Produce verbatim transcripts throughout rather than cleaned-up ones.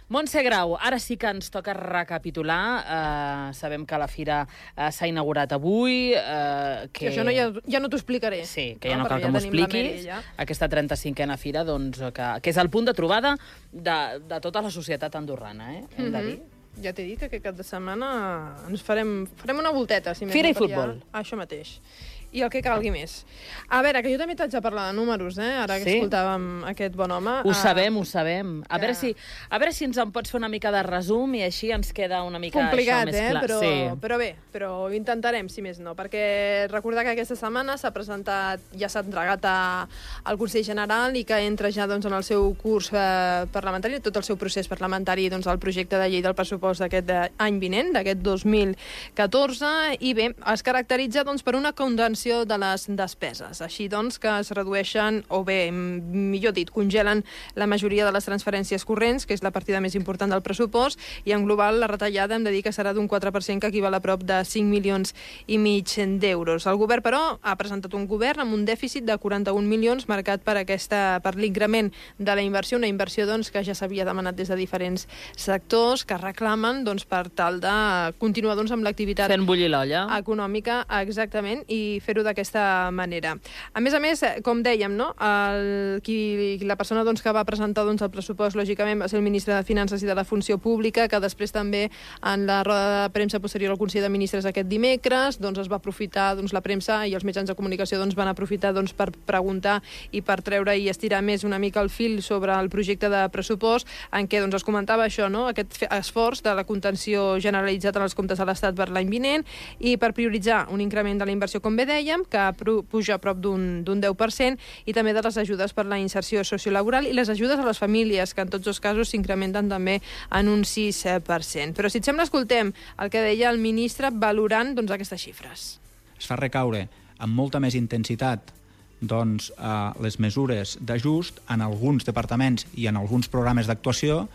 Montse Grau, ara sí que ens toca recapitular. Uh, sabem que la fira uh, s'ha inaugurat avui. Uh, que... Sí, això no, ja, ja no t'ho explicaré. Sí, que ja no, no cal ja que m'ho expliquis. Mary, ja. Aquesta trenta-cinquena fira, doncs, que, que és el punt de trobada de, de tota la societat andorrana, eh? Hem de dir. Mm-hmm. Ja t'he dit que aquest cap de setmana ens farem, farem una volteta. Si Fira i futbol. Ja... Això mateix. I el que calgui més. A veure, que jo també t'haig de parlar de números, eh? Ara que sí? escoltàvem aquest bon home. Ho uh, sabem, ho sabem. A, que... veure si, a veure si ens en pots fer una mica de resum i així ens queda una mica complicat, això més eh? clar. Però, sí. però bé, però ho intentarem, si més no, perquè recordar que aquesta setmana s'ha presentat, ja s'ha entregat a, al Consell General i que entra ja doncs, en el seu curs eh, parlamentari, tot el seu procés parlamentari, doncs, el projecte de llei del pressupost d'aquest any vinent, d'aquest dos mil catorze, i bé, es caracteritza doncs, per una contenció de les despeses. Així doncs que es redueixen, o bé, millor dit, congelen la majoria de les transferències corrents, que és la partida més important del pressupost, i en global la retallada hem de dir que serà d'un quatre per cent, que equival a prop de cinc milions i mig d'euros. El govern, però, ha presentat un govern amb un dèficit de quaranta-un milions marcat per aquesta per l'increment de la inversió, una inversió doncs, que ja s'havia demanat des de diferents sectors que reclamen doncs, per tal de continuar doncs, amb l'activitat fent bullir l'olla econòmica, exactament, i fer-ho d'aquesta manera. A més a més, com dèiem, no? el, qui, la persona doncs, que va presentar doncs, el pressupost, lògicament, va ser el ministre de Finances i de la Funció Pública, que després també en la roda de premsa posterior al Consell de Ministres aquest dimecres doncs, es va aprofitar, doncs, la premsa i els mitjans de comunicació doncs, van aprofitar doncs, per preguntar i per treure i estirar més una mica el fil sobre el projecte de pressupost, en què doncs, es comentava això, no? Aquest esforç de la contenció generalitzat en els comptes de l'Estat per l'any vinent i per prioritzar un increment de la inversió, com bé dèiem, que puja a prop d'un deu per cent, i també de les ajudes per la inserció sociolaboral i les ajudes a les famílies, que en tots els casos s'incrementen també en un sis per cent. Però si et sembla, escoltem el que deia el ministre valorant doncs, aquestes xifres. Es fa recaure amb molta més intensitat doncs, eh, les mesures d'ajust en alguns departaments i en alguns programes d'actuació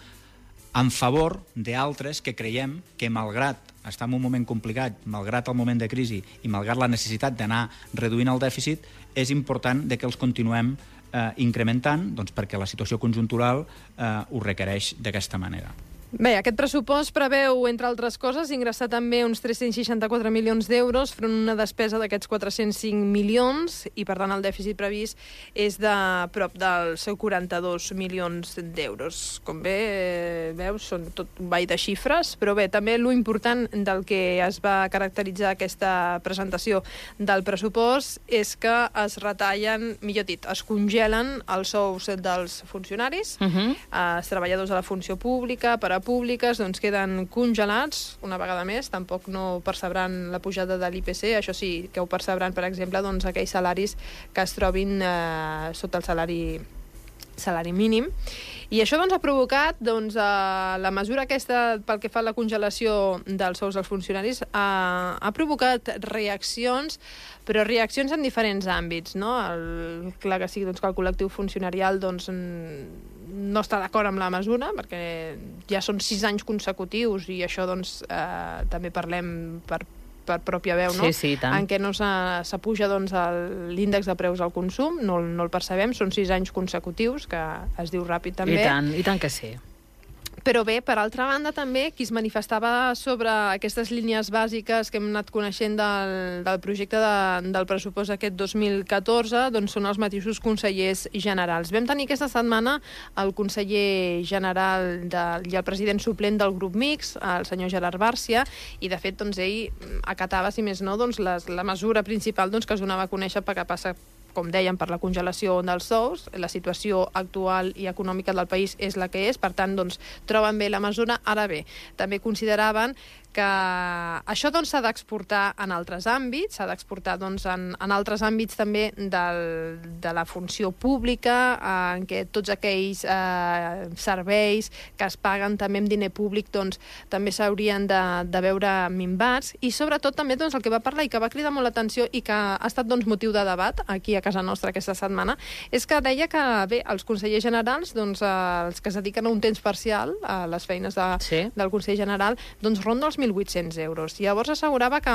en favor d'altres que creiem que, malgrat estar en un moment complicat, malgrat el moment de crisi i malgrat la necessitat d'anar reduint el dèficit, és important de que els continuem eh, incrementant, doncs, perquè la situació conjuntural eh, ho requereix d'aquesta manera. Bé, aquest pressupost preveu, entre altres coses, ingressar també uns tres-cents seixanta-quatre milions d'euros front a una despesa d'aquests quatre-cents cinc milions i, per tant, el dèficit previst és de prop dels quaranta-dos milions d'euros. Com bé eh, veus, són tot un ball de xifres, però bé, també lo important del que es va caracteritzar aquesta presentació del pressupost és que es retallen, millor dit, es congelen els sous dels funcionaris, uh-huh. els treballadors de la funció pública, per a públiques, doncs queden congelats una vegada més, tampoc no percebran la pujada de l'I P C, això sí que ho percebran, per exemple, doncs, aquells salaris que es trobin eh, sota el salari salari mínim. I això doncs, ha provocat doncs, eh, la mesura aquesta pel que fa a la congelació dels sous dels funcionaris ha, ha provocat reaccions, però reaccions en diferents àmbits, no? El, clar que sí, doncs, que el col·lectiu funcionarial doncs, no està d'acord amb la mesura, perquè ja són sis anys consecutius i això doncs, eh, també parlem per per pròpia veu, no? Sí, sí, tant. En què no s'apuja doncs, l'índex de preus al consum, no, no el percebem, són sis anys consecutius, que es diu ràpid també. I tant, i tant que sí. Però bé, per altra banda, també, qui es manifestava sobre aquestes línies bàsiques que hem anat coneixent del, del projecte de, del pressupost aquest dos mil catorze, doncs són els mateixos consellers generals. Vam tenir aquesta setmana el conseller general de, i el president suplent del grup mixt, el senyor Gerard Bàrcia, i de fet doncs, ell acatava, si més no, doncs, les, la mesura principal doncs, que es donava a conèixer perquè passa, com dèiem, per la congelació dels sous. La situació actual i econòmica del país és la que és, per tant, doncs, troben bé la mesura. Ara bé, també consideraven que això doncs, s'ha d'exportar en altres àmbits, s'ha d'exportar doncs, en, en altres àmbits també del, de la funció pública, eh, en què tots aquells eh, serveis que es paguen també amb diner públic doncs, també s'haurien de, de veure minvats, i sobretot també doncs, el que va parlar i que va cridar molt l'atenció i que ha estat doncs, motiu de debat aquí a casa nostra aquesta setmana, és que deia que bé, els consellers generals, doncs, eh, els que es dediquen a un temps parcial a les feines de, sí. del Consell General, doncs ronda els mil vuit-cents euros. I llavors assegurava que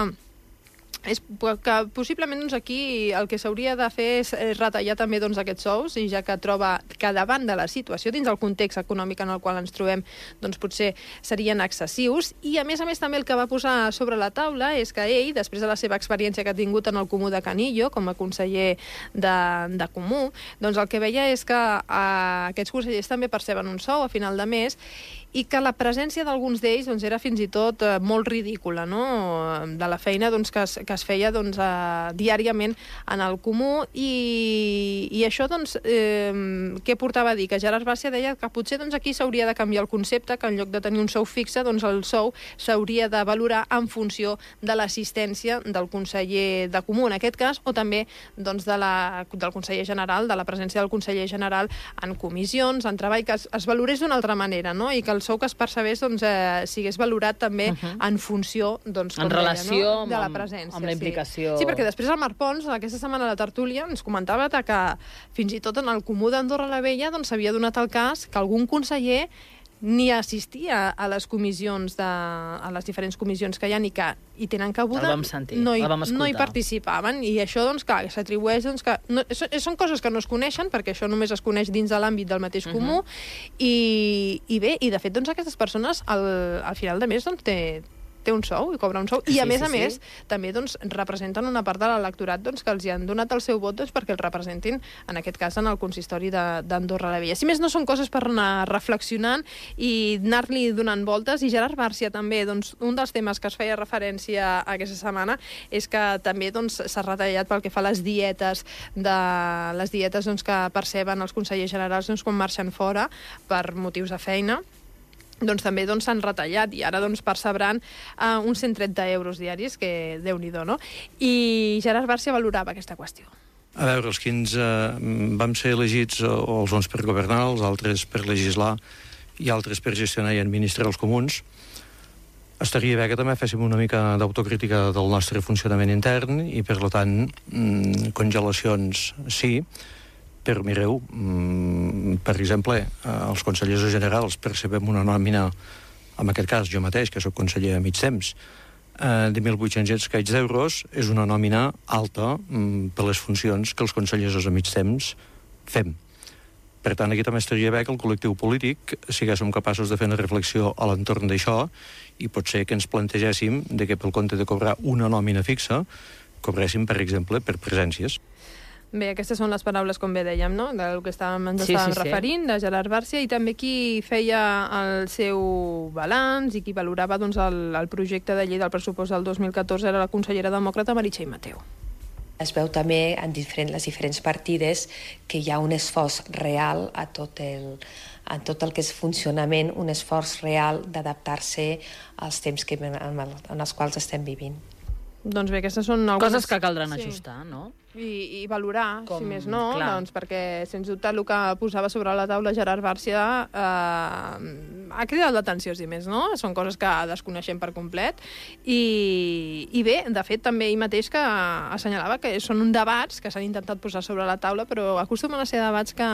és que possiblement doncs, aquí el que s'hauria de fer és retallar també doncs, aquests sous, i ja que troba que davant de la situació, dins del context econòmic en el qual ens trobem, doncs potser serien excessius. I a més a més també el que va posar sobre la taula és que ell, després de la seva experiència que ha tingut en el Comú de Canillo, com a conseller de, de Comú, doncs el que veia és que eh, aquests consellers també perceben un sou a final de mes, i que la presència d'alguns d'ells doncs, era fins i tot eh, molt ridícula, no? De la feina doncs, que, es, que es feia doncs, eh, diàriament en el Comú, i, i això doncs, eh, què portava a dir? Que Gerard Bàrcia deia que potser doncs, aquí s'hauria de canviar el concepte, que en lloc de tenir un sou fixe, doncs, el sou s'hauria de valorar en funció de l'assistència del conseller de Comú, en aquest cas, o també doncs, de la, del conseller general, de la presència del conseller general en comissions, en treball, que es, es valorés d'una altra manera, no? I que el sou que es percebés doncs, eh, sigués valorat també uh -huh. en funció doncs, com en relació deia, no? de la amb, presència. amb la implicació. Sí. sí, perquè després el Marc Pons, aquesta setmana a la tertúlia, ens comentava que fins i tot en el Comú d'Andorra la Vella doncs, s'havia donat el cas que algun conseller ni assistia a les comissions de, a les diferents comissions que hi ha i que hi tenen cabuda, el vam sentir, no, hi, el vam no hi participaven, i això doncs, clar, s'atribueix doncs, que no, són coses que no es coneixen, perquè això només es coneix dins de l'àmbit del mateix Comú, uh -huh. i, i bé, i de fet doncs, aquestes persones al, al final de mes doncs, té té un sou i cobra un sou, i a sí, més sí, a més sí. també doncs, representen una part de l'electorat doncs, que els hi han donat el seu vot doncs, perquè el representin, en aquest cas en el consistori d'Andorra la Vella. Si més no, són coses per anar reflexionant i anar-li donant voltes. I Gerard Bàrcia també, doncs, un dels temes que es feia referència aquesta setmana és que també s'ha doncs, retallat pel que fa a les dietes de les dietes doncs, que perceben els consellers generals doncs, quan marxen fora per motius de feina. Doncs també s'han doncs, retallat, i ara doncs, percebran uh, uns cent trenta euros diaris, que Déu-n'hi-do, no? I Gerard Bàrcia valorava aquesta qüestió. A veure, els quins eh, vam ser elegits, o els uns per governar, els altres per legislar i altres per gestionar i administrar els comuns, estaria bé que també féssim una mica d'autocrítica del nostre funcionament intern i, per tant, mm, congelacions sí, però mireu, per exemple, els consellers generals percebem una nòmina, en aquest cas jo mateix, que sóc conseller a mig temps, de mil vuit-cents escaig d'euros, és una nòmina alta per les funcions que els consellers a mig temps fem. Per tant, aquí també estaria bé que el col·lectiu polític siguéssim capaços de fer una reflexió a l'entorn d'això, i potser que ens plantegéssim de que pel compte de cobrar una nòmina fixa, cobréssim, per exemple, per presències. Bé, aquestes són les paraules, com bé dèiem, no? Del que estàvem, ens sí, estàvem sí, referint, sí. de Gerard Bàrcia, i també qui feia el seu balanç i qui valorava doncs, el, el projecte de llei del pressupost del dos mil catorze era la consellera demòcrata Meritxell Mateu. Es veu també en diferent, les diferents partides que hi ha un esforç real a tot el, a tot el que és funcionament, un esforç real d'adaptar-se als temps que, en, en els quals estem vivint. Doncs bé, aquestes són algunes... Coses que caldran sí. ajustar, no? I, i valorar, Com, si més no, clar. doncs, perquè, sens dubte, el que posava sobre la taula Gerard Bàrcia eh, ha cridat l'atenció, si més no? Són coses que desconeixem per complet. I, i bé, de fet, també ell mateix que assenyalava que són uns debats que s'han intentat posar sobre la taula, però acostumen a ser debats que...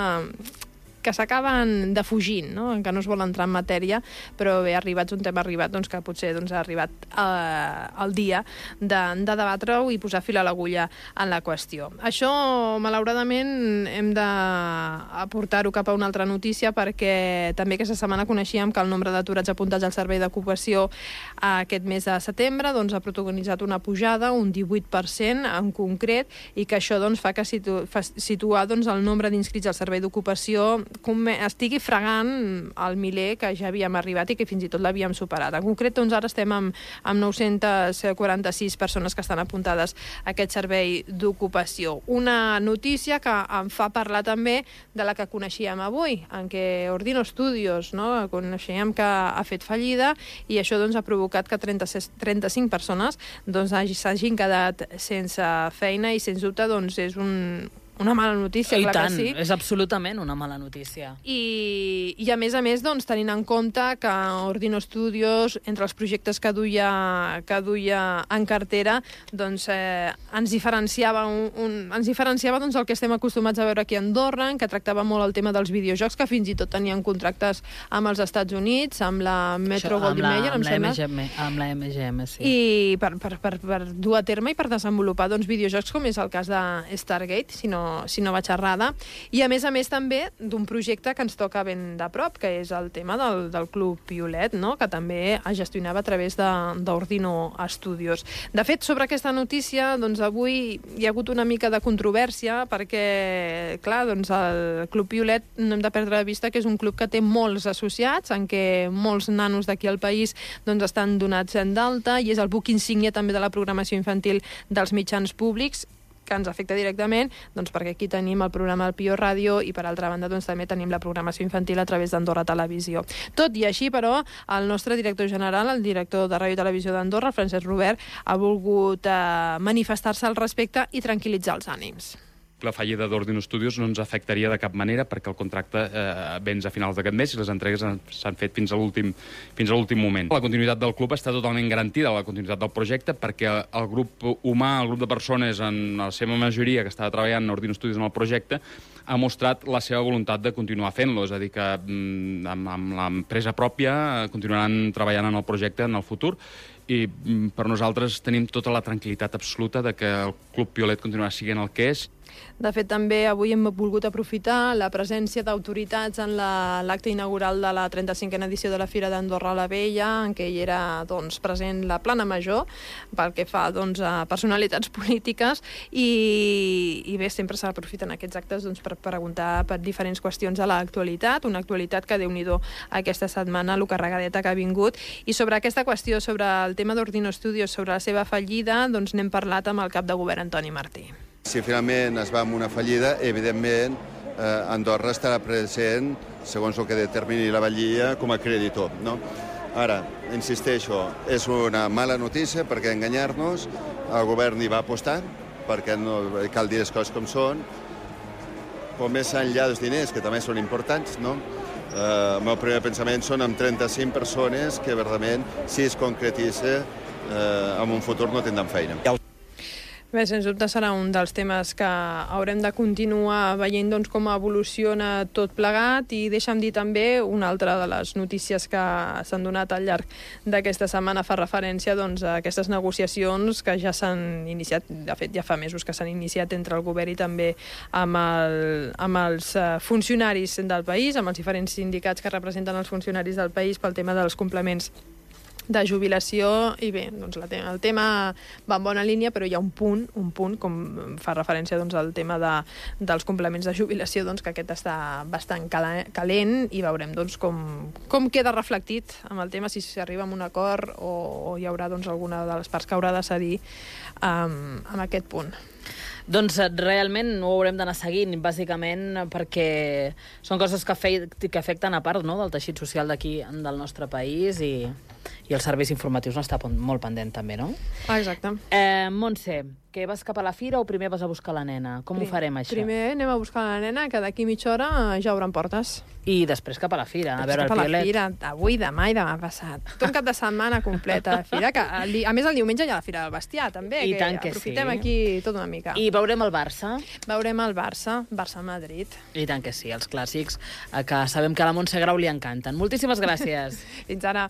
que s'acaben defugint, no? Que no es vol entrar en matèria, però bé, arribats un tema arribat, doncs que potser doncs, ha arribat eh, el dia de, de debatre-ho i posar fil a l'agulla en la qüestió. Això, malauradament, hem d'aportar-ho cap a una altra notícia, perquè també aquesta setmana coneixíem que el nombre d'aturats apuntats al servei d'ocupació aquest mes de setembre doncs, ha protagonitzat una pujada, un divuit per cent en concret, i que això doncs, fa que situ fa situar doncs, el nombre d'inscrits al servei d'ocupació estigui fregant el miler que ja havíem arribat i que fins i tot l'havíem superat. En concret, doncs, ara estem amb, amb nou-cents quaranta-sis persones que estan apuntades a aquest servei d'ocupació. Una notícia que em fa parlar també de la que coneixíem avui, en què Ordino Studios, no? Coneixíem que ha fet fallida, i això doncs, ha provocat que trenta-cinc persones doncs, s'hagin quedat sense feina, i sens dubte doncs, és un una mala notícia, I clar tant, que sí. és absolutament una mala notícia. I, i a més a més, doncs, tenint en compte que Ordino Studios, entre els projectes que duia, que duia en cartera, doncs, eh, ens diferenciava, un, un, ens diferenciava doncs, el que estem acostumats a veure aquí a Andorra, que tractava molt el tema dels videojocs, que fins i tot tenien contractes amb els Estats Units, amb la Metro Goldwyn Mayer, em sembla. Amb la M G M, sí. I per, per, per, per dur a terme i per desenvolupar doncs, videojocs, com és el cas de Stargate, si no si no vaig errada, i a més a més també d'un projecte que ens toca ben de prop, que és el tema del, del Club Piolet, no? Que també es gestionava a través d'Ordino Studios. De fet, sobre aquesta notícia, doncs avui hi ha hagut una mica de controvèrsia perquè, clar, doncs el Club Piolet no hem de perdre de vista que és un club que té molts associats, en què molts nanos d'aquí al país doncs, estan donats d'alta, i és el buc insígnia també de la programació infantil dels mitjans públics, que ens afecta directament, doncs perquè aquí tenim el programa del Pio Ràdio i per altra banda doncs, també tenim la programació infantil a través d'Andorra Televisió. Tot i així, però, el nostre director general, el director de Ràdio i Televisió d'Andorra, el Francesc Robert, ha volgut eh, manifestar-se al respecte i tranquil·litzar els ànims. La fallida d'Ordino Studios no ens afectaria de cap manera perquè el contracte eh, vens a finals d'aquest mes i les entregues s'han fet fins a l'últim fins a l'últim moment. La continuïtat del club està totalment garantida, la continuïtat del projecte, perquè el grup humà, el grup de persones, en la seva majoria que estava treballant a Ordino Studios en el projecte, ha mostrat la seva voluntat de continuar fent-lo, és a dir, que amb, amb l'empresa pròpia continuaran treballant en el projecte en el futur, i per nosaltres tenim tota la tranquil·litat absoluta de que el Club Piolet continuarà sent el que és. De fet, també avui hem volgut aprofitar la presència d'autoritats en l'acte inaugural de la trenta-cinquena edició de la Fira d'Andorra la Vella, en què hi era doncs, present la plana major, pel que fa doncs, a personalitats polítiques, i, i bé, sempre s'aprofiten aquests actes doncs, per preguntar per diferents qüestions de l'actualitat, una actualitat que, Déu-n'hi-do, aquesta setmana, lo carregadeta que ha vingut. I sobre aquesta qüestió, sobre el tema d'Ordino Studios, sobre la seva fallida, doncs n'hem parlat amb el cap de govern, Antoni Martí. Si finalment es va amb una fallida, evidentment eh, Andorra estarà present, segons el que determini la vetllia, com a creditor. No? Ara, insisteixo, és una mala notícia perquè enganyar-nos, el govern hi va apostar, perquè no cal dir les coses com són, però més enllà dels diners, que també són importants, no? Eh, el meu primer pensament són amb trenta-cinc persones que, verdament, si es concretitza, eh, en un futur no tindran feina. Bé, sens dubte serà un dels temes que haurem de continuar veient doncs, com evoluciona tot plegat, i deixa'm dir també una altra de les notícies que s'han donat al llarg d'aquesta setmana fa referència doncs, a aquestes negociacions que ja s'han iniciat, de fet ja fa mesos que s'han iniciat entre el govern i també amb, el, amb els funcionaris del país, amb els diferents sindicats que representen els funcionaris del país pel tema dels complements de jubilació, i bé, doncs la tema, el tema va en bona línia, però hi ha un punt, un punt com fa referència doncs, al tema de, dels complements de jubilació, doncs, que aquest està bastant calent, i veurem doncs, com, com queda reflectit amb el tema, si s'arriba a un acord o, o hi haurà doncs, alguna de les parts que haurà de cedir um, amb aquest punt. Doncs realment ho haurem d'anar seguint, bàsicament perquè són coses que, fe que afecten a part, no?, del teixit social d'aquí, del nostre país, i, i els serveis informatius n'està molt pendent també, no? Exacte. Eh, Montse, que vas cap a la fira o primer vas a buscar la nena? Com Prim, ho farem, això? Primer anem a buscar la nena, que d'aquí mitja hora ja obren portes. I després cap a la fira, a veure el Piolet. Piolet. Cap a la fira, avui, demà i demà passat. Tot un cap de setmana complet a la fira, que a més el diumenge hi ha la fira del bestiar, també, I que tant que aprofitem sí. aquí tot una mica. I veurem el Barça. Veurem el Barça, Barça-Madrid. I tant que sí, els clàssics, que sabem que a la Montse Grau li encanten. Moltíssimes gràcies. Fins ara.